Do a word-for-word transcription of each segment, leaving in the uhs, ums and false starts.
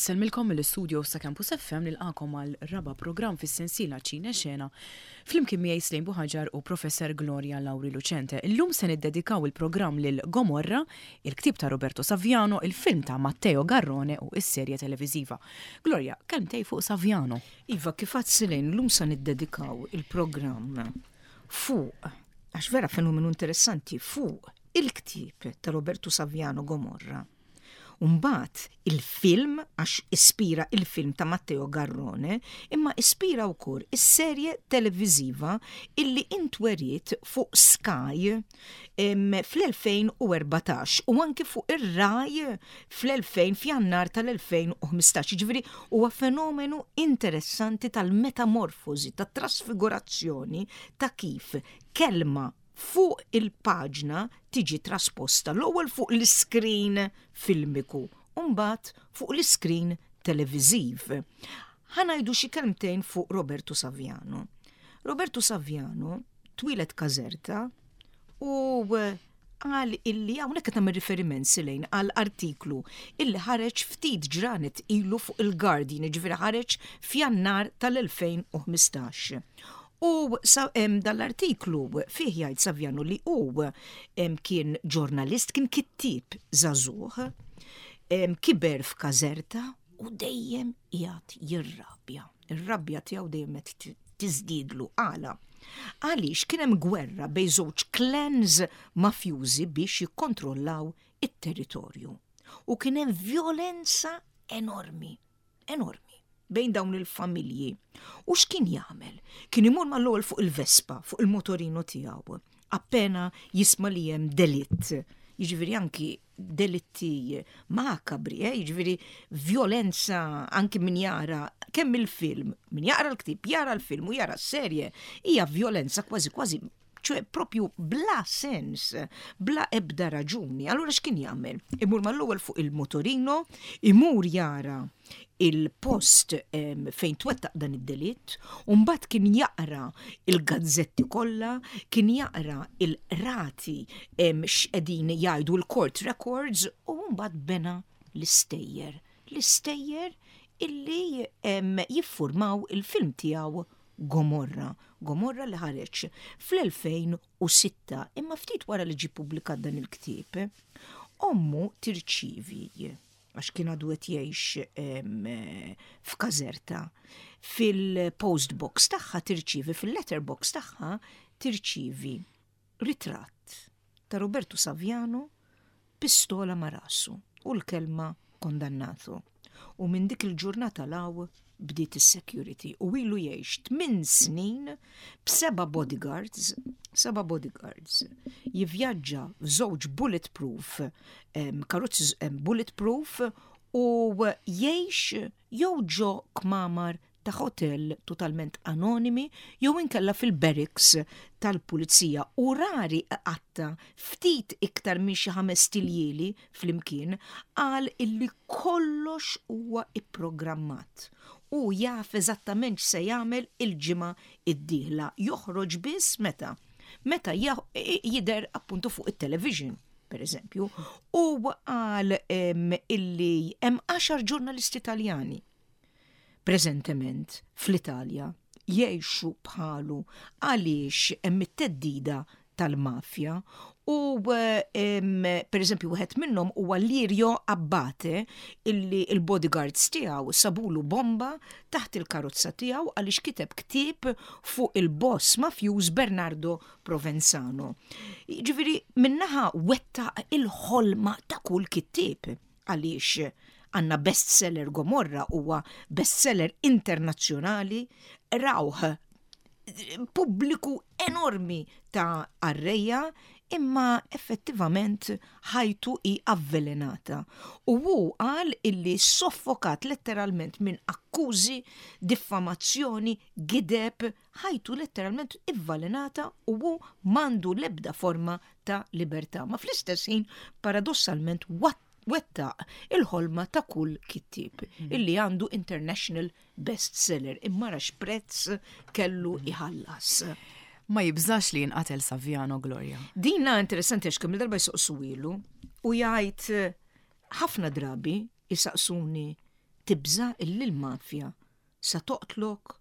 Insellmilkom mill-istudio sa' Campus F M, nilqagħkom għal raba' programm fis-sensiela Ċine Xena flimkien miegħi Slejn Buħaġar u Professor Gloria Lauri Lucente. Illum se niddedikaw il-programm lil Gomorra, il-ktib ta' Roberto Saviano, il-film ta' Matteo Garrone u is-serje televiżiva. Gloria, kelmtejn fuq Saviano. Iva, kif għedt, Silejn, illum sa niddedikaw il-programm fuq, għax vera fenomenu interessanti, fuq il-ktib ta' Roberto Saviano Gomorra. Umbat il-film, għax ispira il-film ta' Matteo Garrone, imma ispira wkoll is-serje televiżiva illi intweriet fuq Sky fl-elfejn u erbatax u anki fuq ir-Rai fl-elfejn f'Jannar tal-elfejn u ħmistax. Ġifieri huwa fenomenu interessanti tal-metamorfosi, tat-trasfigurazzjoni ta' kif kelma fuq il-paġna tiġi trasposta l-ewwel fuq l-iskrin filmiku u mbagħad fuq l-iskrin televiżiv. Ħa ngħidu xi kelmtejn fuq Roberto Saviano. Roberto Saviano twieled Caserta u qal illi hawnhekk qed nagħmel riferiment, Silejn, għal artiklu illi ħareġ ftit ġranet ilu fuq il-Guardian, ġifieri ħareġ f'Jannar tal-elfejn u ħmistax. U dal-artiklu fih jgħid Saviano li hu kien ġurnalist, kien kittib żagħżugħ, kiber f'Caserta u dejjem qiegħed jirrabja. Ir-rabja tiegħu dejjem qed tiżdiedlu. Għala? Għaliex kien hemm gwerra bejn żewġ clans mafjużi biex jikkontrollaw it-territorju. U kien hemm violenza enormi, enormi bejn dawn il-familji. U x'kien jagħmel? Kien imur mal-ewwel fuq il-Vespa, fuq il-motorino tiegħu. Appena jisma' li hemm delitt. Jiġifieri anki delitti makabri, eh? Jiġifieri violenza, anki min jara kemm il-film, min jaqra l-ktib, jara l-film u jara s-serje, hija violenza kważi kważi ċoè propju bla sens, bla ebda raġuni. Allura x'kien jagħmel? Imur mal-ewwel fuq il-motorino, imur jara il-post fejn twettaq dan id-delitt, u mbagħad kien jaqra il-gazzetti kollha, kien jaqra il-rati x'qegħdin jgħidu l-court records u mbagħad bena l-istejjer. L-istejjer illi jiffurmaw il-film tiegħu Gomorra. Gomorra li ħareġ fl-elfejn u sitta, imma ftit wara li ġi publikat dan il-ktieb, ommu tirċivi, għax kien għadu qed jgħix f'Caserta, fil-post box tagħha tirċivi, fil-letter box tagħha tirċivi ritratt ta' Roberto Saviano pistola ma' rasu u l-kelma "condannato". U minn dik il-ġurnata 'l hawn bdiet is-security u ilu jgħix tmien snin b'seba' bodyguards, seba' bodyguards. Jivvjaġġa f'żewġ bulletproof, karozzi bulletproof, u jgħix jew ġo kmamar ta' hotel totalment anonimi jew inkella fil-barracks tal-pulizija u rari qatta ftit iktar minn xi ħames iljieli flimkien. Qal illi kollox huwa ipprogrammat u jaf eżattament x'se jagħmel il-ġimgħa id-dieħla. Joħroġ biss meta meta jidher appuntu fuq it-television, per eżempju, u qal illi hemm għaxar ġurnalisti Taljani preżentement fl-Italja jgħixu bħalu għaliex hemm it-theddida tal-mafja u per eżempju wieħed minnhom huwa Lirio Abbate, illi il-bodyguards tiegħu sabulu bomba taħt il-karozza tiegħu għaliex kiteb ktieb fuq il-boss mafjuż Bernardo Provenzano. Ġifieri min-naħa wettaq il-ħolma ta' kull kittieb, għaliex għandna bestseller. Gomorra huwa bestseller internazzjonali, rawh pubbliku enormi ta' qarrejja, imma effettivament ħajtu hi avvelenata. U hu qal illi soffokat letteralment minn akkużi, diffamazzjoni, gideb, ħajtu letteralment ivvelenata u hu m'għandu lebda forma ta' libertà. Ma fl-istess ħin, paradossalment, wettaq il-ħolma ta' kull kittib mm. illi għandu international bestseller, imma x'prezz kellu iħallas. Ma jibżax li jinqatel Saviano, Gloria? Dina interessanti għax kemm darba jsaqsuhielu u jgħid, ħafna drabi jisaqsuni Tibża illi l-mafja sa toqtlok?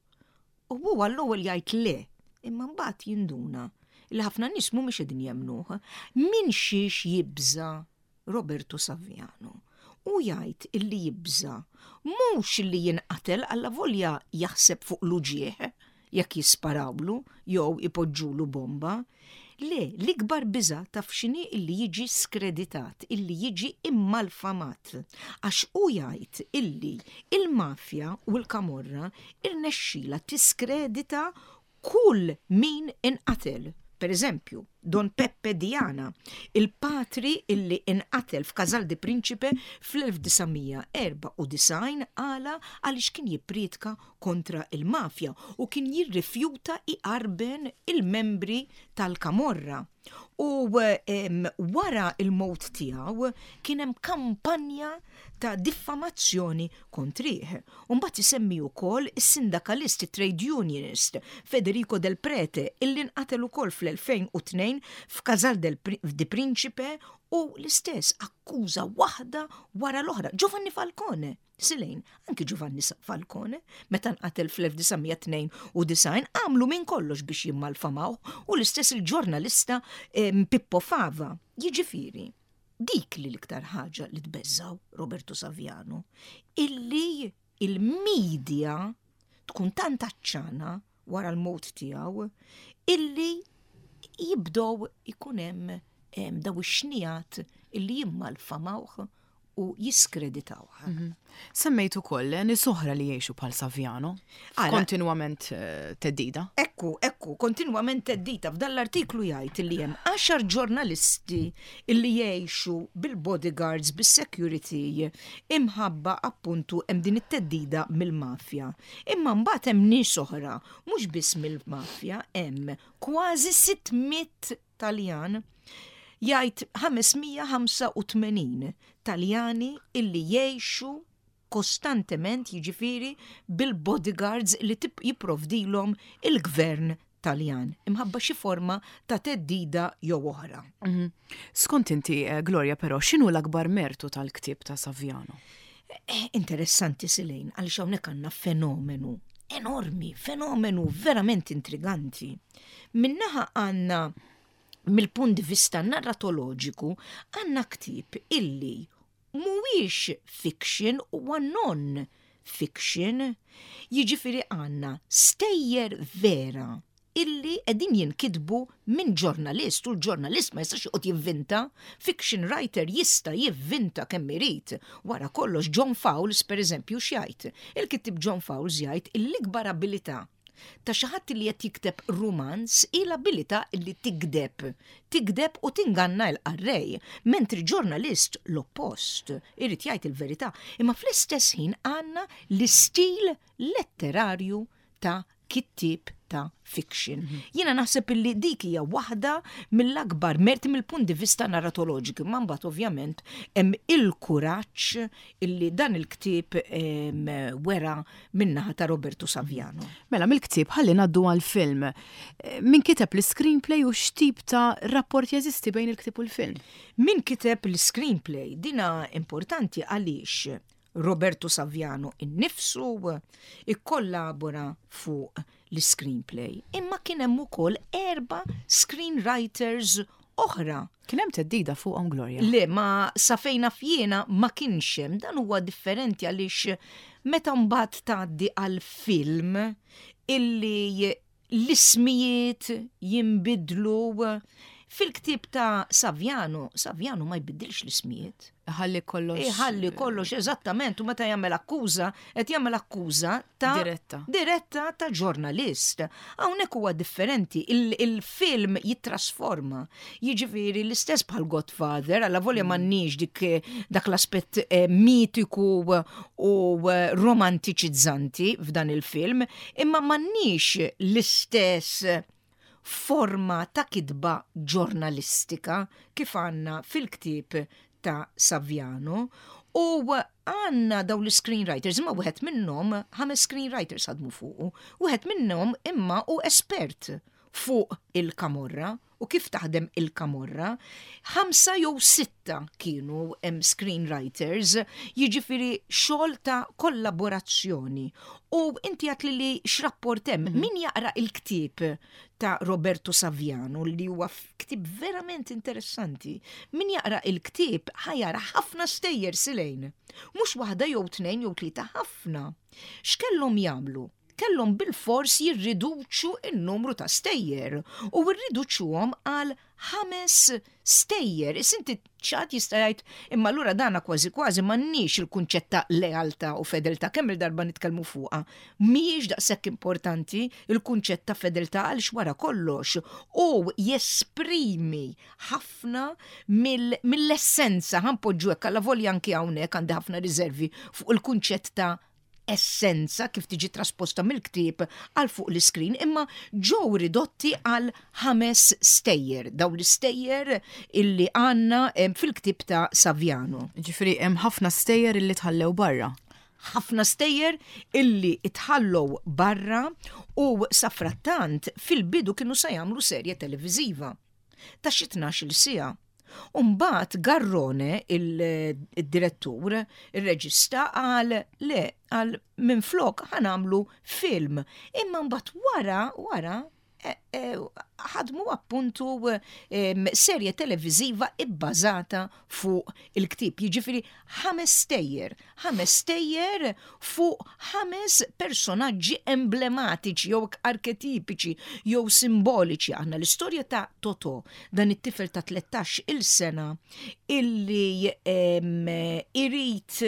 U huwa l-ewwel jgħid le, imma mbagħad jinduna li ħafna nies mhumiex qegħdin jemmnuh. Min xiex jibża Roberto Saviano? U jgħid illi jibża mhux illi jinqatel, allavolja jaħseb fuq l-uġieħ jekk jisparawlu jew ipoġġulu bomba. Le, l-ikbar biża taf x'inhi? Illi jiġi skreditat, illi jiġi immalfamat. Għax u jgħid illi il-mafja u l-kamorra irnexxila tiskredita kull min inqatel. Per eżempju, Don Peppe Diana, il-patri illi inqatel f'Casal di Principe fl-elf disa' mija erbgħa u disgħin, għala? Għaliex kien jippriedka kontra il-mafja u kien jirrifjuta iqarben il-membri tal-kamorra. U em, wara il-mowt tiegħu kien hemm kampanja ta' diffamazzjoni kontrih. Mbagħad isemmi wkoll is-sindakalist, trade unionist Federico Del Prete, illi nqatel ukoll fl-elfejn u tnejn f'Casal del di Principe u l-istess akkuża waħda wara l-oħra. Giovanni Falcone, Silejn, anki Giovanni Falcone, meta nqatel fl-elf disa' mija tnejn u disgħin għamlu minn kollox biex jimmalfamaw, u l-istess il-ġurnalista em, Pippo Fava. Jiġifieri, dik li l-iktar ħaġa li tbeżżaw Roberto Saviano, illi il-medja tkun tant għatxana wara l-mowt tiegħu illi jibdow ikun hemm em, daw ix-xnijat illi jimmalfamawh u jiskreditawh. Semmejt ukoll nies oħra li jgħixu bħal Saviano. Ara- Kontinwament eh, theddida. Ekku, ekku, kontinwament theddida. F'dan l-artiklu jgħid li hemm għaxar ġurnalisti illi jgħixu bil-bodyguards, bis-security, imħabba appuntu hemm din it-theddida mill-mafja. Imma mbagħad hemm nies oħra, mhux biss mill-mafja, hemm kważi sitt mitt Taljan, jgħid ħames mija ħamsa u tmenin Taljani illi jgħixu kostantement, jiġifieri bil-bodyguards li tip jipprovdilhom il-gvern Taljan imħabba xi forma ta' theddida jew oħra. Mhm. Skont inti, eh, Gloria, però, x'inhu l-akbar mertu tal-ktieb ta' Saviano? Eh, Interessanti, Silejn, għaliex hawnhekk għandna fenomenu enormi, fenomenu verament intriganti. Min-naħa għandna, mill-punt di vista narratoloġiku, għandna ktieb illi mhuwiex fiction, huwa non fiction, jiġifieri għandna stejjer vera illi qegħdin jinkitbu minn ġurnalist, u l-ġurnalist ma jistax joqgħod jivvinta, fiction writer jista' jivvinta kemm irid. Wara kollox, John Fowles, per eżempju, x'jgħid? Il-kittib John Fowles jgħid l-ikbar abilità ta' xi ħadd li qed jikteb romanz hi l-abilità li tigdeb. Tigdeb u tinganna l-qarrej, mentri ġurnalist l-oppost, irid jgħid il-verità. Imma fl-istess ħin għandna l-istil letterarju ta' kittib ta' fiction. Jiena naħseb illi dik hija waħda mill-akbar merti mill-punt di vista narratoloġiku, ma mbagħad ovvjament hemm il-kuraġġ illi dan il-ktieb em, wera min-naħa ta' Roberto Saviano. Mela, mill-ktieb ħalli ngħaddu għal-film. Eh, Min kiteb l-screenplay u x'tip ta' rapport jeżisti bejn il-ktieb u l-film? Min kiteb l-screenplay? Dina importanti għaliex Roberto Saviano innifsu ikkollabora fuq l-screenplay. Imma kien hemm ukoll erba' screenwriters oħra. Kien hemm theddida fuqhom, Gloria? Le, ma sa fejn naf jiena ma kienx hemm. Dan huwa differenti għaliex meta mbagħad tgħaddi għal film illi l-ismijiet jinbidlu. Fil-ktieb ta' Saviano, Saviano ma jbiddilx l-ismijiet. Ħalli kollox. Iħalli kollox eżattament, u meta jagħmel akkuża, qed jagħmel akkuża ta' Diretta. Diretta ta' ġurnalist. Hawnhekk huwa differenti, il- il-film jittrasforma. Jiġifieri l-istess bħal Godfather, allavolja m'għandniex dik dak l-aspett eh, mitiku u eh, romantiċizzanti f'dan il-film, imma m'għandniex l-istess forma ta' kitba ġurnalistika kif għandna fil-ktieb ta' Saviano, u għandna daw l-screenwriters, imma wieħed minnhom, ħames screenwriters ħadmu fuqu, wieħed minnhom imma u espert. fuq il-Kamorra u kif taħdem il-Kamorra. Ħamsa jew sitta kienu hemm screenwriters, jiġifieri xogħol ta' kollaborazzjoni. U inti għedt li li x'rapport hemm, mm -hmm. min jaqra il-ktieb ta' Roberto Saviano li huwa ktieb verament interessanti. Min jaqra il-ktieb ħa jara ħafna stejjer silejn. Mhux waħda jew tnejn jew tlieta ħafna. X'kellhom jagħmlu? Kellhom bil-fors jirriduċu il-numru ta' stejjer u rriduċuhom għal ħames stejjer. Issa inti ċat jista' jgħid imma allura dana kważi kważi m'għandniex il-kunċett ta' lealtà u fedeltà kemm il-darba nitkellmu fuqha. Mhijiex daqshekk importanti il-kunċett ta' fedeltà għaliex wara kollox u jesprimi ħafna mill-essenza ħa npoġġu hekk allavolja anki hawnhekk għandi ħafna riservi fuq il-kunċett ta' essenza kif tiġi trasposta mill-ktieb għal fuq l-iskrin, imma ġew ridotti għal ħames stejjer, daw l-istejjer illi għandna fil-ktieb ta' Saviano. Ġifieri hemm ħafna stejjer illi tħallew barra. Ħafna stejjer illi tħallew barra u safrattant fil-bidu kienu sa jagħmlu serje televiżiva ta' xi tnax-il siegħa. Umbat Garrone, il-direttur, il-reġista, qal le, qal minflok ħa nagħmlu film. Imma mbagħad wara, wara, e, e, ħadmu appuntu serje televiziva ibbażata fuq il-ktieb. Jiġifieri ħames stejjer, ħames stejjer fuq ħames personaġġi emblematiċi jew arketipiċi jew simboliċi. Aħna l-istorja ta' Toto, dan it-tifel ta' tlettax il sena illi irid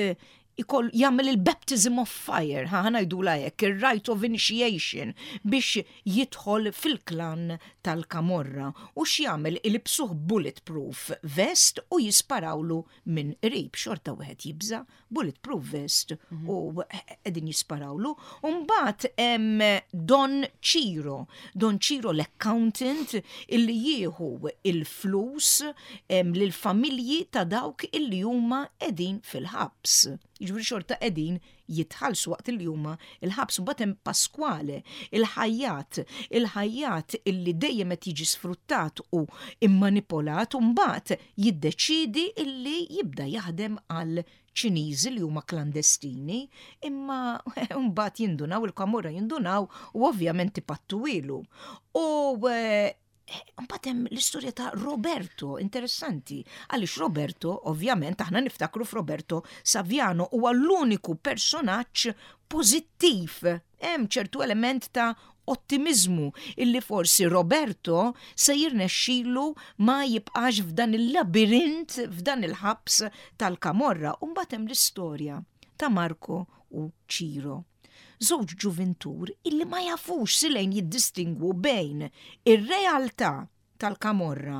ikoll jagħmel il-baptism of fire, ħa ngħidula hekk, il-rite of initiation biex jidħol fil-klan tal-Kamorra. U x'jagħmel ilibbsuh bulletproof vest u jisparawlu minn qrib, xorta wieħed jibża, bulletproof vest mm -hmm. u qegħdin jisparawlu. U mbagħad hemm Don Ciro, Don Ciro l-accountant illi jieħu il-flus lill-familji ta' dawk illi huma qegħdin fil-ħabs. Jiġifieri xorta qegħdin jitħallsu waqt li huma il-ħabs. U hemm Pasquale, il-ħajjat, il-ħajjat illi dejjem qed jiġi sfruttat u immanipolat u mbagħad jiddeċidi illi jibda jaħdem għal Ċiniżi li huma klandestini, imma mbagħad jindunaw il-Kamorra jindunaw u ovvjament ipattuhielu. U eh, Mbagħad hemm l-istorja ta' Roberto, interessanti, għaliex Roberto, ovvjament, aħna niftakru f'Roberto Saviano, huwa l-uniku personaġġ pożittiv. Hemm ċertu element ta' ottimizmu illi forsi Roberto se jirnexxilu ma jibqax f'dan il-labirint, f'dan il-ħabs tal-Kamorra. U mbagħad hemm l-istorja ta' Marco u Ciro. Żewġ ġuvintur illi ma jafux silejn jiddistingwu bejn ir-realtà tal-Kamorra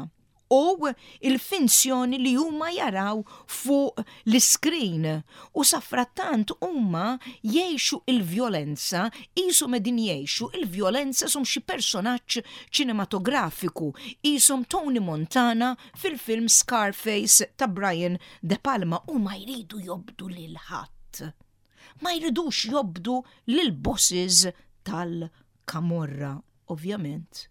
u il-finzjoni li huma jaraw fuq l-iskrin u safrattant huma jgħixu il-vjolenza qishom qegħdin jgħixu il-vjolenza qishom xi personaġġ ċinematografiku qishom Tony Montana fil-film Scarface ta' Brian De Palma u ma jridu jobdu lil ħadd. Ma jridux jobdu lil bosses tal-Kamorra. Ovvjament,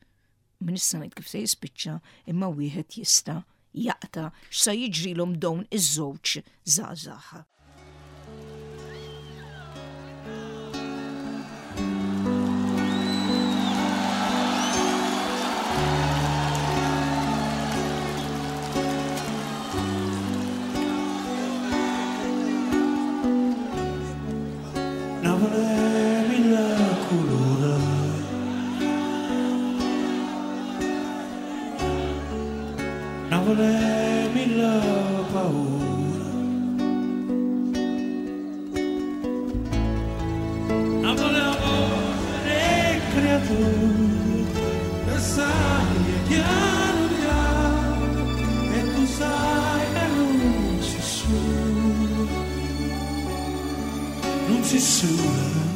min issa ngħid kif se jispiċċa imma wieħed jista' jaqta' x'sa jiġrilhom dawn iż-żewġ żgħażagħ. Napule mille culure Napule mille paure Napule 'a voce d' 'e creature E saglie chiano chiano E tu sai che nun si sola Nun si sola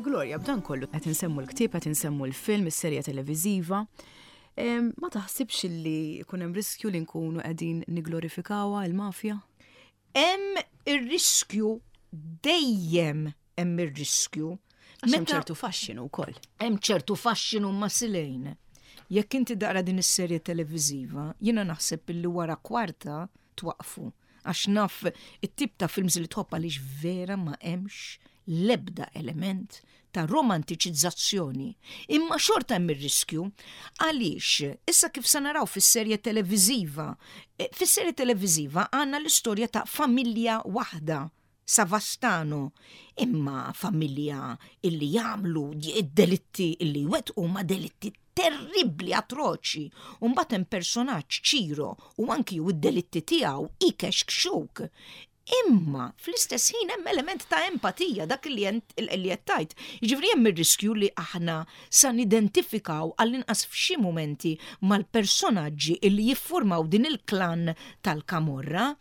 Gloria, b'dan kollu qed insemmu l-ktieb, qed insemmu l-film, is-serja televiżiva. Ma taħsibx li jkun hemm riskju li nkunu qegħdin niglorifikawha il-mafja? Hemm ir-riskju dejjem hemm ir-riskju. Hemm ċertu faxxinu wkoll. Hemm ċertu faxxinu ma silejn. Jekk inti taqra din is-serje televiżiva, jiena naħseb illi wara kwarta twaqfu. Għax naf it-tip ta' films li tħobb, għaliex vera ma hemmx lebda element ta' romantiċizzazzjoni. Imma xorta hemm ir-riskju għaliex issa kif se naraw fis-serje televiżiva, eh, fis-serje televiżiva għandna l-istorja ta' familja waħda, Savastano, imma familja illi jagħmlu id-delitti illi wettqu ma delitti terribli, atroċi. U mbagħad hemm personaġġ Ċiro u anki u id-delitti tiegħu ikexkxuk. Imma fl-istess ħin hemm element ta' empatija, dak li li qed tgħid. Jiġifieri hemm ir-riskju li aħna sa nidentifikaw għall-inqas f'xi momenti mal-personaġġi illi jiffurmaw din il-klan tal-Kamorra,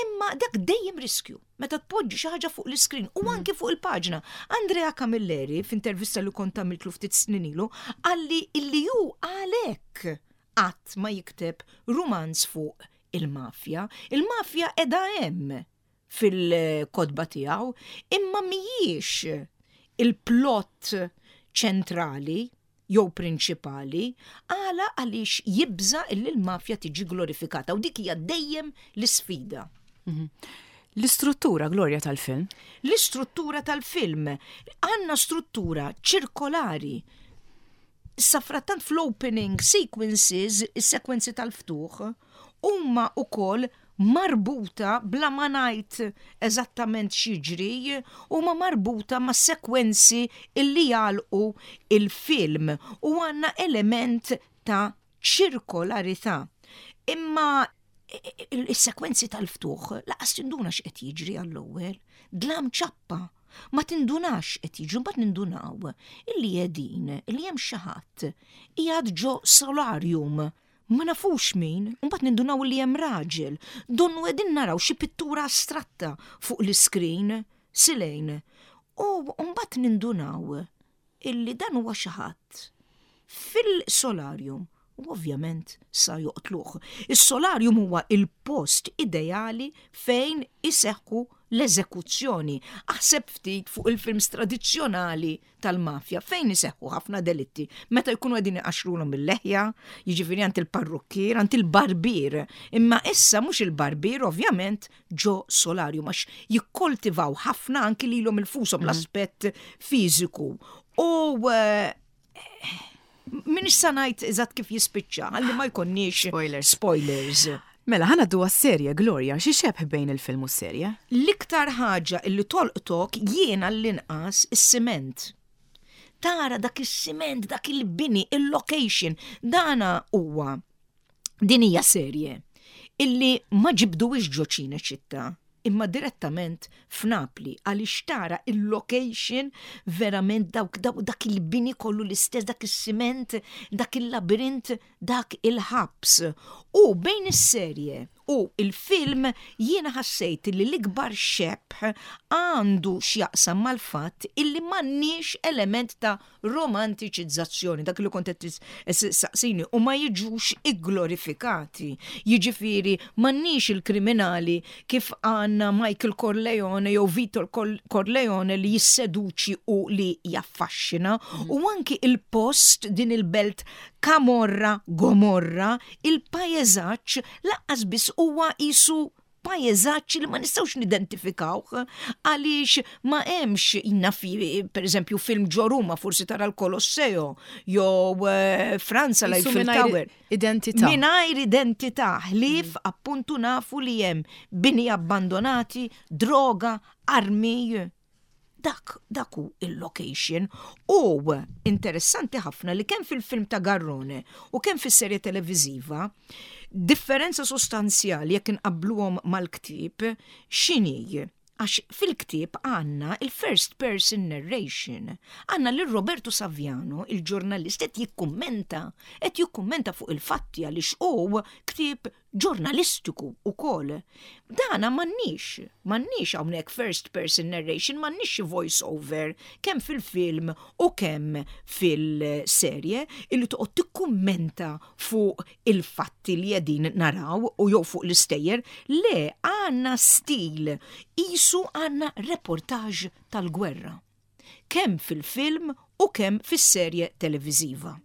imma dak dejjem riskju meta tpoġġi xi ħaġa fuq l-iskrin u anki fuq il-paġna. Andrea Camilleri, f'intervista li kont għamiltlu ftit snin ilu, qalli illi hu għalhekk qatt ma jikteb rumanz fuq il-mafja. Il-mafja qiegħda hemm fil-kotba tiegħu, imma mhijiex il-plot ċentrali jew prinċipali, għala għaliex jibża illi l-mafja tiġi glorifikata u dik hija dejjem l-isfida. L-istruttura, Gloria, tal-film? L-istruttura tal-film. Għandna struttura ċirkolari. Safrattant fl-opening sequences, is-sekwenzi tal-ftuħ, huma ukoll marbuta, bla ma ngħid eżattament x'jiġri, huma marbuta ma' sekwenzi illi jagħlqu il-film u għandna element ta' ċirkolarità. Imma il-sekwenzi tal-ftuħ lanqas tinduna x'qed jiġri għall-ewwel, dlam ċappa. Ma tindunax qed jiġri, mbagħad nindunaw illi qegħdin illi hemm xi ħadd qiegħed ġo solarium. Ma nafux min, mbagħad nindunaw li hemm raġel. Donnu qegħdin naraw xi pittura astratta fuq l-iskrin, silejn. U mbagħad nindunaw illi dan huwa xi ħadd fil-solarium u ovvjament sa joqtluh. Is-solarium huwa il-post ideali fejn iseħħu l-eżekuzzjoni. Aħseb ftit fuq il-films tradizzjonali tal-mafja fejn iseħħu ħafna delitti. Meta jkunu qegħdin iqaxrulhom il-leħja, jiġifieri għand il-parrukkier, għand il-barbier. Imma issa mhux il-barbier, ovvjament, ġo solarium, għax jikkoltivaw ħafna anki lilhom infushom, l-aspett fiżiku. U eh, m'iniex sa ngħid eżatt kif jispiċċa, għalli ma jkonniex spoilers. Spoilers. Mela, ħa ngħaddu għas-serje, Gloria, xi xebh bejn il-film u s-serje? L-iktar ħaġa illi tolqtok, jiena l-inqas, is-siment. Tara dak is-siment, dak il-bini, il-location, dana huwa din hija serje illi ma ġibduwix ġo Ċinecittà, imma direttament f'Napli, għaliex tara il-location verament dawk, dawk dak il-bini kollu l-istess, dak is-siment, dak il-labirint, dak il-ħabs. U bejn is-serje u il-film jiena ħassejt li l-ikbar xebh għandu x'jaqsam mal-fatt illi m'għandniex element ta' romantiċizzazzjoni, dak li kont qed saqsini, u ma jiġux igglorifikati. Jiġifieri m'għandniex il-kriminali kif għandna Michael Corleone jew Vito Corleone li jisseduċi u li jaffaxxina, u anki il-post, din il-belt Kamorra, Gomorra, il-pajjeżaġġ lanqas biss huwa qisu pajjeżaġġ li ma nistgħux nidentifikawh għaliex ma hemmx innafi, per eżempju, film ġo Ruma forsi tara l-Colosseo jew eh, Franza la Qisu Eiffel mingħajr Tower. Identità. Mingħajr identità, ħlief appuntu nafu li hemm bini abbandonati, droga, armi. Dak, dak hu il-location. U interessanti ħafna li kemm fil-film ta' Garrone u kemm fis-serje televiżiva, differenza sostanzjali jekk inqabbluhom mal-ktieb x'inhi? Għax fil-ktieb għandna il-first person narration. Għandna lil Roberto Saviano, il-ġurnalist, qed jikkummenta, qed jikkummenta fuq il-fatti għaliex hu ktieb ġurnalistiku ukoll. Dana m'għandniex, m'għandniex hawnhekk first person narration, m'għandniex xi voice over kemm fil-film u kemm fil-serje illi toqgħod tikkummenta fuq il-fatti li qegħdin naraw u jew fuq l-istejjer. Le, għandna stil qisu għandna reportaġġ tal-gwerra. Kemm fil-film u kemm fis-serje televiżiva.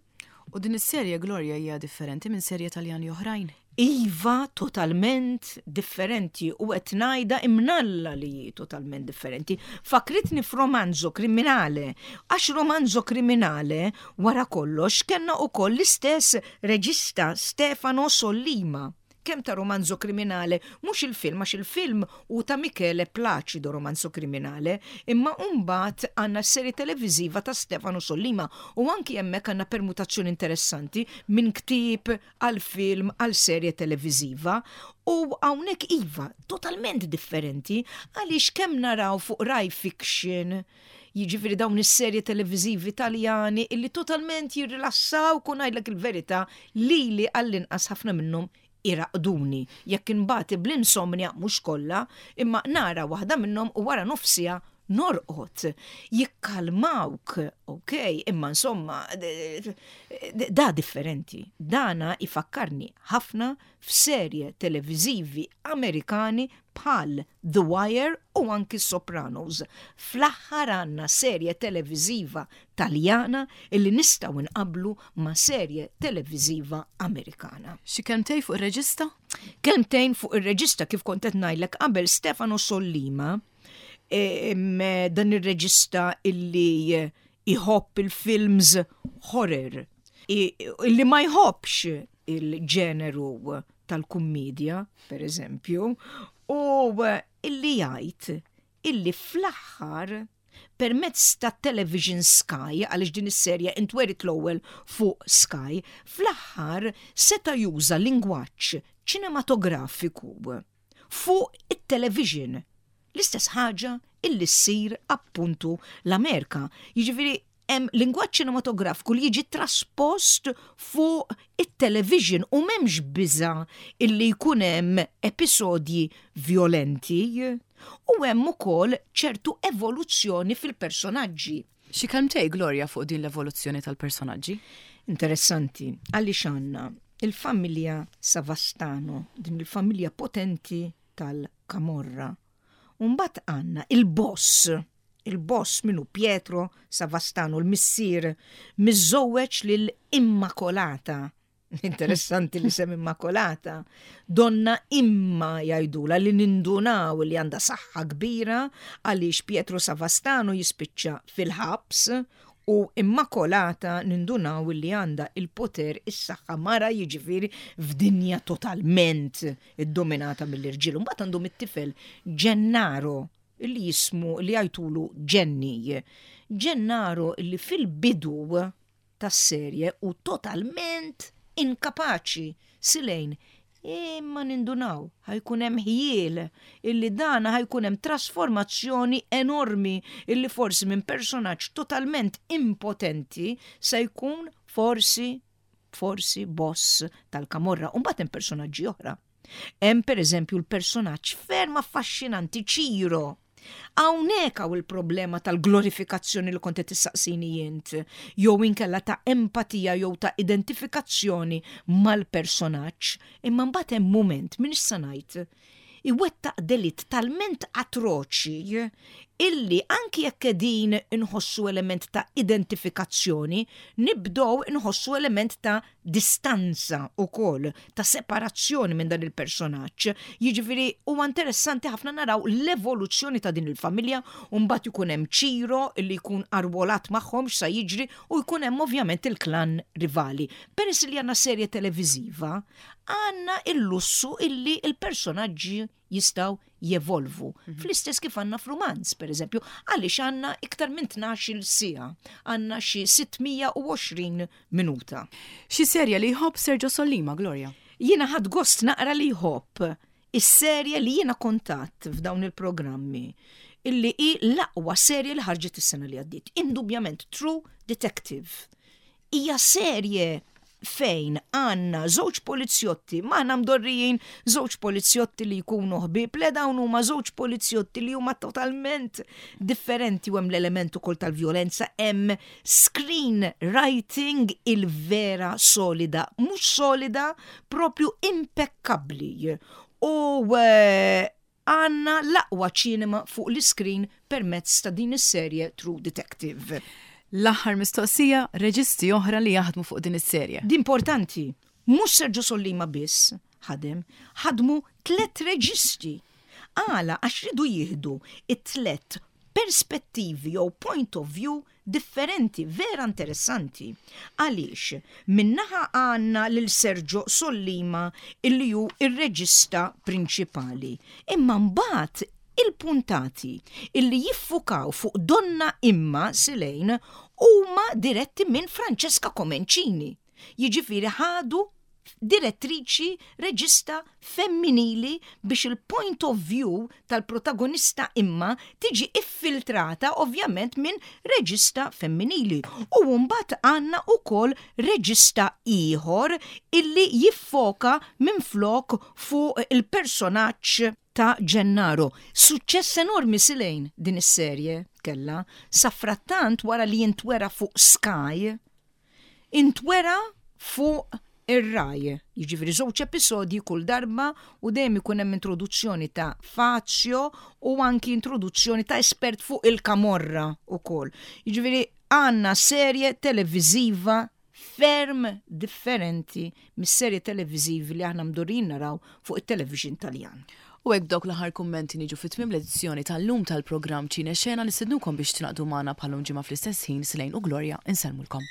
U din is-serje, Gloria, hija differenti minn serje Taljani oħrajn? Iva, totalment differenti, u qed ngħidha imnalla li hi totalment differenti. Fakritni f'Romanzo Kriminale, għax Romanzo Kriminale wara kollox kellna ukoll l-istess reġista, Stefano Sollima. Kemm ta' Romanzo Kriminale, mhux il-film, għax il-film hu ta' Michele Placido, Romanzo Kriminale, imma mbagħad għandna serje televiżiva ta' Stefano Sollima u anki hemmhekk għandna permutazzjoni interessanti minn ktieb għal film għal serje televiżiva. U hawnhekk iva, totalment differenti, għaliex kemm naraw fuq Rai Fiction, jiġifieri dawn is-serje televiżivi Taljani illi totalment jirrilassaw, kun ngħidlek il-verità, lili għall-inqas ħafna minnhom iraqduni. Jekk inbati bl-insomnia, mhux kollha, imma nara waħda minnhom u wara nofsija norqod. Jikkalmawk, ok, imma insomma, da differenti. Dana ifakkarni ħafna f'serje televiżivi Amerikani bħal The Wire u anki Sopranos. Fl-aħħar għandna serje televiżiva Taljana illi nistgħu nqablu ma' serje televiżiva Amerikana. Xi kelmtejn fuq ir-reġista? Kelmtejn fuq ir-reġista, kif kont qed ngħidlek qabel, Stefano Sollima, em, dan ir-reġista illi iħobb il-films horror, i- illi ma jħobbx il-ġeneru tal-kummedja, per eżempju, u illi jgħid illi fl-aħħar permezz ta' Television Sky, għaliex din is-serja intwerit l-ewwel fuq Sky, fl-aħħar seta' juża lingwaġġ ċinematografiku fuq it-television. L-istess ħaġa illi ssir appuntu l-Amerika. Jiġifieri hemm lingwaġġ ċinematografiku li jiġi traspost fuq it-television u m'hemmx biża illi jkun hemm episodji violenti u hemm ukoll ċertu evoluzzjoni fil-personaġġi. Xi kelmtejn, Gloria, fuq din l-evoluzzjoni tal-personaġġi? Interessanti, għaliex għandna il-familja Savastano, din il-familja potenti tal-Kamorra. Mbagħad għandna il-boss, il-boss minnu Pietro Savastano, l-missier, miżżewweġ lil Immacolata. Interessanti li sem Immacolata. Donna Imma jgħidula, li nindunaw li għandha saħħa kbira, għaliex Pietro Savastano jispiċċa fil-ħabs u Immacolata nindunaw li għandha il-poter, is-saħħa, mara jiġifieri f'dinja totalment iddominata mill-irġiel. Mbagħad għandhom it-tifel Gennaro, li jismu li jgħidulu Genny. Gennaro li fil-bidu tas-serje u totalment inkapaċi silejn. Imma nindunaw, ħa jkun hemm ħjiel illi dana ħa jkun hemm trasformazzjoni enormi, illi forsi minn personaġġ totalment impotenti se jkun forsi forsi boss tal-Kamorra. U mbagħad hemm personaġġi oħra. Hemm per eżempju l-personaġġ ferm affaxxinanti Ciro. Hawnhekk hawn il-problema tal-glorifikazzjoni li kont qed tistaqsini jint, jew inkella ta' empatija jew ta' identifikazzjoni mal-personaġġ, imma mbagħad hemm mument minn issa ngħid iwettaq delitt talment atroċi illi anki jekk qegħdin inħossu element ta' identifikazzjoni, nibdow inħossu element ta' distanza ukoll, ta' separazzjoni minn dan il-personaġġ. Jiġifieri huwa interessanti ħafna naraw l-evoluzzjoni ta' din il-familja, u mbagħad ikun hemm Ciro illi jkun arwolat magħhom, x'sa jiġri, u jkun hemm ovvjament il-klan rivali. Peress li għandna serje televiżiva, għandna il-lussu illi il-personaġġi jistgħu jevolvu. Mhm. Fl-istess kif għandna f'rumanz, per eżempju, għaliex għandna iktar minn tnax-il siegħa, għandna xi sitt mija u għoxrin minuta. Xi serja li jħobb Sergio Sollima, Gloria? Jiena ħadt gost naqra li jħobb is-serje li jiena kontat f'dawn il-programmi, illi hi l-aqwa serje li ħarġet is-sena li għaddiet. Indubjament True Detective. Hija serje fejn għandna żewġ polizjotti, ma għandna mdorrijin żewġ polizjotti li jkunu ħbieb, le, dawn huma żewġ polizjotti li huma totalment differenti u hemm l-element ukoll tal-vjolenza, hemm screen writing il-vera solida, mhux solida, propju impeccabli. U eh, Għandna l-aqwa ċinema fuq l-iskrin permezz ta' din is-serje True Detective. L-aħħar mistoqsija, reġisti oħra li jaħdmu fuq din is-serje. Di importanti, mhux Sergio Sollima biss ħadem, ħadmu tlet reġisti. Għala? Għax ridu jieħdu it-tlet perspettivi jew point of view differenti, vera interessanti. Għaliex, min-naħa għandna lil Sergio Sollima, illi hu ir-reġista prinċipali. Imma mbagħad il-puntati illi jiffukaw fuq Donna Imma Silejn huma diretti minn Francesca Comencini. Jiġifieri ħadu direttriċi, reġista femminili, biex il-point of view tal-protagonista Imma tiġi iffiltrata ovvjament minn reġista femminili. U mbagħad għandna ukoll reġista ieħor illi jiffoka minn flok fuq il-personaġġ ta' Gennaro. Suċċess enormi, Silejn, din is-serje kella. Safrattant, wara li jintwera fuq Sky, intwera fuq ir-Rai. Jiġifieri żewġ episodji kull darba u dejjem ikun hemm introduzzjoni ta' Fazio u anki introduzzjoni ta' espert fuq il-Kamorra ukoll. Jiġifieri għandna serje televiżiva ferm differenti mis-serje televiżivi li aħna mdorrijin naraw fuq it-television Taljan. U hekk, dawk l-aħħar kummenti, niġu fi tmiem l-edizzjoni tal-lum tal-programm Ċine Xena. Nistednukom biex tingħaqdu magħna bħal-lum ġimgħa fl-istess ħin. Silejn u Gloria insellmulkom.